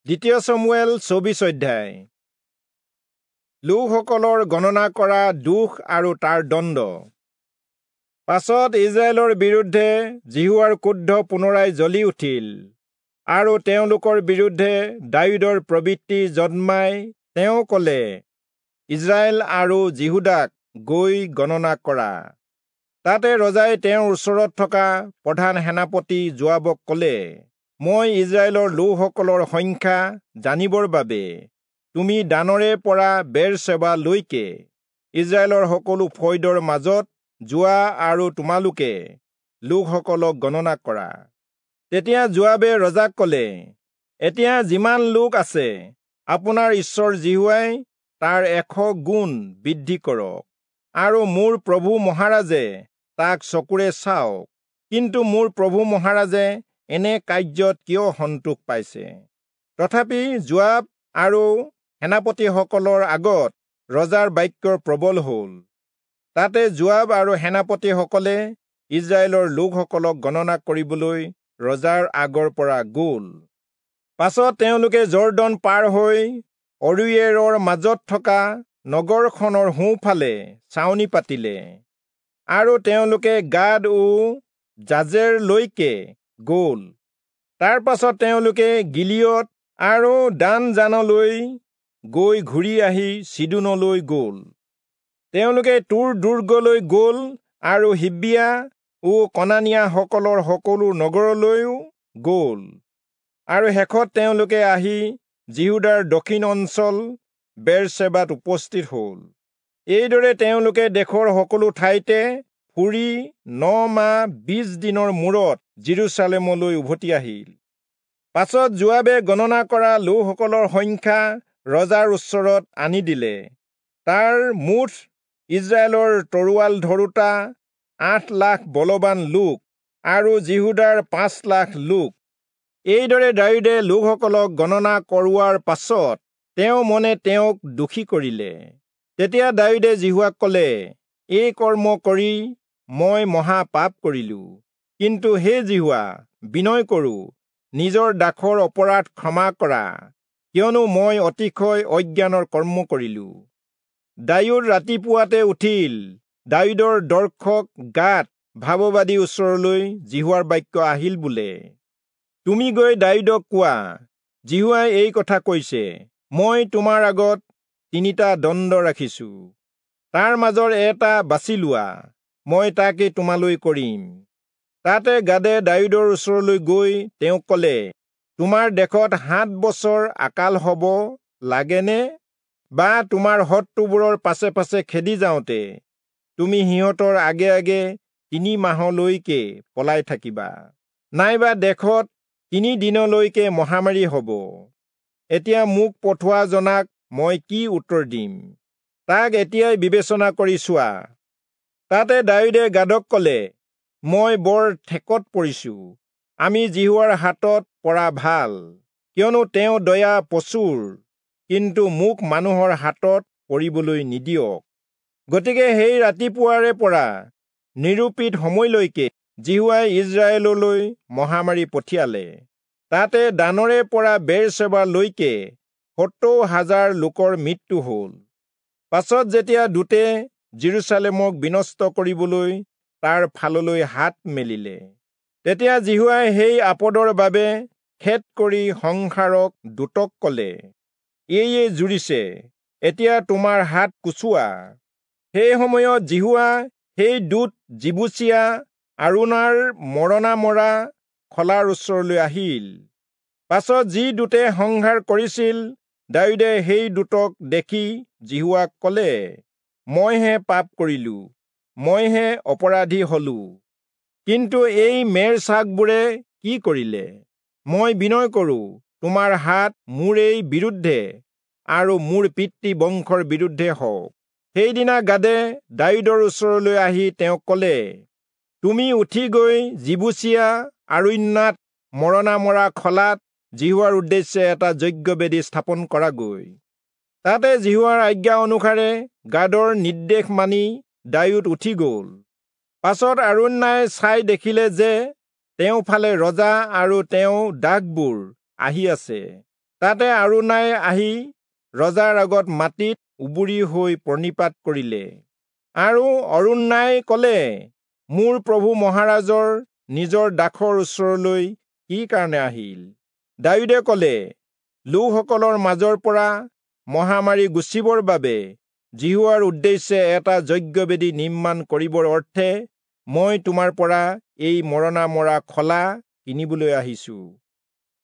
দ্বিতীয় চমূৱেল 24 অধ্যায়। লোকসকলৰ গণনা কৰা দোষ আৰু তাৰ দণ্ড। পাছত ইজৰাইলৰ বিৰুদ্ধে যিহোৱাৰ ক্ৰোধ পুনৰাই জ্বলি উঠিল আৰু তেওঁলোকৰ বিৰুদ্ধে দায়ূদৰ প্ৰবৃত্তি জন্মাই তেওঁ কলে, ইজৰাইল আৰু যিহূদাক গৈ গণনা কৰা। তাতে ৰজাই তেওঁৰ ওচৰত থকা প্ৰধান সেনাপতি যোৱাবক কলে, মই ইজৰাইলৰ লোকসকলৰ সংখ্যা জানিবৰ বাবে তুমি দানৰে পৰা বেৰচেবালৈকে ইজৰাইলৰ সকলো ফৈদৰ মাজত যোৱা আৰু তোমালোকে লোকসকলক গণনা কৰা। তেতিয়া যোৱাবে ৰজাক কলে, এতিয়া যিমান লোক আছে আপোনাৰ ঈশ্বৰ যিহোৱাই তাৰ 100 গুণ বৃদ্ধি কৰক আৰু মোৰ প্ৰভু মহাৰাজে তাক চকুৰে চাওক। কিন্তু মোৰ প্ৰভু মহাৰাজে এনে কাৰ্যত কিয় সন্তোষ পাইছে? তথাপি যোৱাব আৰু সেনাপতিসকলৰ আগত ৰজাৰ বাক্য প্ৰবল হল। তাতে যোৱাব আৰু সেনাপতিসকলে ইজৰাইলৰ লোকসকলক গণনা কৰিবলৈ ৰজাৰ আগৰ পৰা গল। পাছত তেওঁলোকে যৰ্দন পাৰ হৈ অৰোয়েৰৰ মাজত থকা নগৰখনৰ সোঁফালে ছাউনি পাতিলে আৰু তেওঁলোকে গাদ ও জাজেৰলৈকে গল। তাৰ পাছত তেওঁলোকে গিলিয়দ আৰু দানজানলৈ গৈ ঘূৰি আহি চিদোনলৈ গল। তেওঁলোকে তূৰ দুৰ্গলৈ গল আৰু হিব্বিয়া ও কনানীয়াসকলৰ সকলো নগৰলৈও গল। আৰু শেষত তেওঁলোকে আহি যিহূদাৰ দক্ষিণ অঞ্চল বেৰচেবাত উপস্থিত হল। এইদৰে তেওঁলোকে দেশৰ সকলো ঠাইতে ফুৰি 9 মাহ 20 দিনৰ মূৰত যিৰূচালেমলৈ উভতি আহিল। পাছত যোৱাবে গণনা কৰা লোকসকলৰ সংখ্যা ৰজাৰ ওচৰত আনি দিলে। তাৰ মুঠ ইজৰাইলৰ তৰোৱাল ধৰোঁতা 8 লাখ বলৱান লোক আৰু যিহূদাৰ 5 লাখ লোক। এইদৰে দায়ূদে লোকসকলক গণনা কৰোৱাৰ পাছত তেওঁ মনে তেওঁক দোষী কৰিলে। তেতিয়া দায়ূদে যিহোৱাক কলে, এই কৰ্ম কৰি মই মহা পাপ কৰিলো। কিন্তু হে যিহোৱা, বিনয় কৰো, নিজৰ দাসৰ অপৰাধ ক্ষমা কৰা, কিয়নো মই অতিশয় অজ্ঞানৰ কৰ্ম কৰিলো। দায়ূদ ৰাতিপুৱাতে উঠিল। দায়ূদৰ দৰ্শক গাদ ভাৱবাদীৰ ওচৰলৈ যিহোৱাৰ বাক্য আহিল বোলে, তুমি গৈ দায়ূদক কোৱা, যিহোৱাই এই কথা কৈছে, মই তোমাৰ আগত 3টা দণ্ড ৰাখিছো, তাৰ মাজৰ এটা বাছি লোৱা, মই তাকে তোমালৈ কৰিম। তাতে গাদে দায়ূদৰ ওচৰলৈ গৈ তেওঁক কলে, তোমাৰ দেশত 7 বছৰ আকাল হব লাগেনে? বা তোমাৰ শত্ৰুবোৰৰ পাছে পাছে খেদি যাওঁতে তুমি সিহঁতৰ আগে আগে 3 মাহলৈকে পলাই থাকিবা, নাইবা দেশত 3 দিনলৈকে মহামাৰী হব? এতিয়া মোক পঠোৱা জনাক মই কি উত্তৰ দিম? তাক এতিয়াই বিবেচনা কৰি চোৱা। তাতে দায়ূদে গাদক কলে, মই বৰ ঠেকত পৰিছো। আমি যিহোৱাৰ হাতত পৰা ভাল, কিয়নো তেওঁ দয়া প্ৰচুৰ, কিন্তু মোক মানুহৰ হাতত পৰিবলৈ নিদিয়ক। গতিকে সেই ৰাতিপুৱাৰে পৰা নিৰূপিত সময়লৈকে যিহোৱাই ইজৰাইললৈ মহামাৰী পঠিয়ালে। তাতে দানৰে পৰা বেৰচেবালৈকে 70,000 লোকৰ মৃত্যু হল। পাছত যেতিয়া দূতে যিৰূচালেমক বিনষ্ট কৰিবলৈ তাৰ ফাললৈ হাত মেলিলে, তেতিয়া যিহোৱাই সেই আপদৰ বাবে খেদ কৰি সংহাৰক দূতক কলে, এয়ে জুৰিছে, এতিয়া তোমাৰ হাত কুচোৱা। সেই সময়ত যিহোৱা সেই দূত যিবূচীয়া আৰোনাৰ মৰণা মৰা খলাৰ ওচৰলৈ আহিল। পাছত যি দূতে সংহাৰ কৰিছিল, দায়ূদে সেই দূতক দেখি যিহোৱাক কলে, মইহে পাপ কৰিলো, মইহে অপৰাধী হলো। কিন্তু এই মেৰ ছাগবোৰে কি কৰিলে? মই বিনয় কৰো, তোমাৰ হাত মোৰেই বিৰুদ্ধে আৰু মোৰ পিতৃ বংশৰ বিৰুদ্ধে হওক। সেইদিনা গাদে দায়ূদৰ ওচৰলৈ আহি তেওঁক কলে, তুমি উঠি গৈ যিবূচীয়া আৰোন্যাত মৰণা মৰা খলাত যিহোৱাৰ উদ্দেশ্যে এটা যজ্ঞবেদী স্থাপন কৰাগৈ। তাতে যিহোৱাৰ আজ্ঞা অনুসাৰে গাদৰ নিৰ্দেশ মানি দায়ূদ উঠি গল। পাছত আৰোন্যাই চাই দেখিলে যে তেওঁ ফালে ৰজা আৰু তেওঁ দাসবোৰ আহি আছে। তাতে অৰৌণাই আহি ৰজাৰ আগত মাটিত উবুৰি হৈ প্ৰণিপাত কৰিলে। আৰু অৰৌণাই কলে, মোৰ প্ৰভু মহাৰাজৰ নিজৰ দাসৰ ওচৰলৈ কি কাৰণে আহিল? দায়ূদে কলে, লোকসকলৰ মাজৰ পৰা মহামাৰী গুচিবৰ বাবে যিহোৱাৰ উদ্দেশ্যে এটা যজ্ঞবেদী নিৰ্মাণ কৰিবৰ অৰ্থে মই তোমাৰ পৰা এই মৰণা মৰা খলা কিনিবলৈ আহিছো।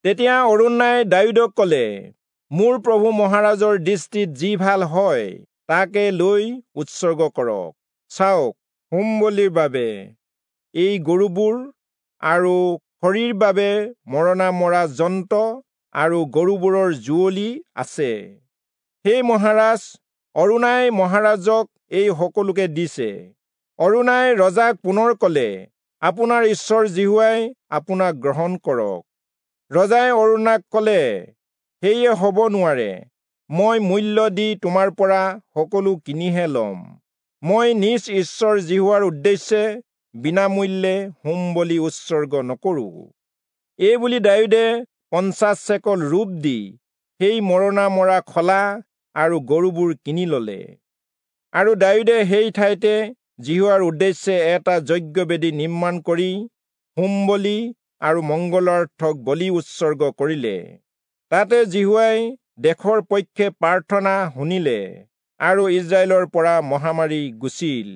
তেতিয়া অৰৌণাই দায়ূদক কলে, মোৰ প্ৰভু মহাৰাজৰ দৃষ্টিত যি ভাল হয় তাকে লৈ উৎসৰ্গ কৰক। চাওক, হোম বলিৰ বাবে এই গৰুবোৰ আৰু খৰিৰ বাবে মৰণা মৰা যন্ত্ৰ আৰু গৰুবোৰৰ যুঁৱলি আছে। হে মহাৰাজ, অৰৌণাই মহাৰাজক এই সকলোকে দিছে। অৰৌণাই ৰজাক পুনৰ কলে, আপোনাৰ ঈশ্বৰ যিহোৱাই আপোনাক গ্ৰহণ কৰক। ৰজাই অৰৌণাক কলে, সেয়ে হ'ব নোৱাৰে, মই মূল্য দি তোমাৰ পৰা সকলো কিনিহে লম। মই নিজ ঈশ্বৰ যিহোৱাৰ উদ্দেশ্যে বিনামূল্যে হোম বলি উৎসৰ্গ নকৰো। এই বুলি দায়ূদে 50 চেকল ৰূপ দি সেই মৰণা মৰা খলা আৰু গৰুবোৰ কিনি ললে। আৰু দায়ূদে সেই ঠাইতে যিহোৱাৰ উদ্দেশ্যে এটা যজ্ঞবেদী নিৰ্মাণ কৰি হোম বলি আৰু মঙ্গলাৰ্থক বলি উৎসৰ্গ কৰিলে। তাতে যিহোৱাই দেশৰ পক্ষে প্ৰাৰ্থনা শুনিলে আৰু ইস্ৰায়েলৰ পৰা মহামাৰী গুচিল।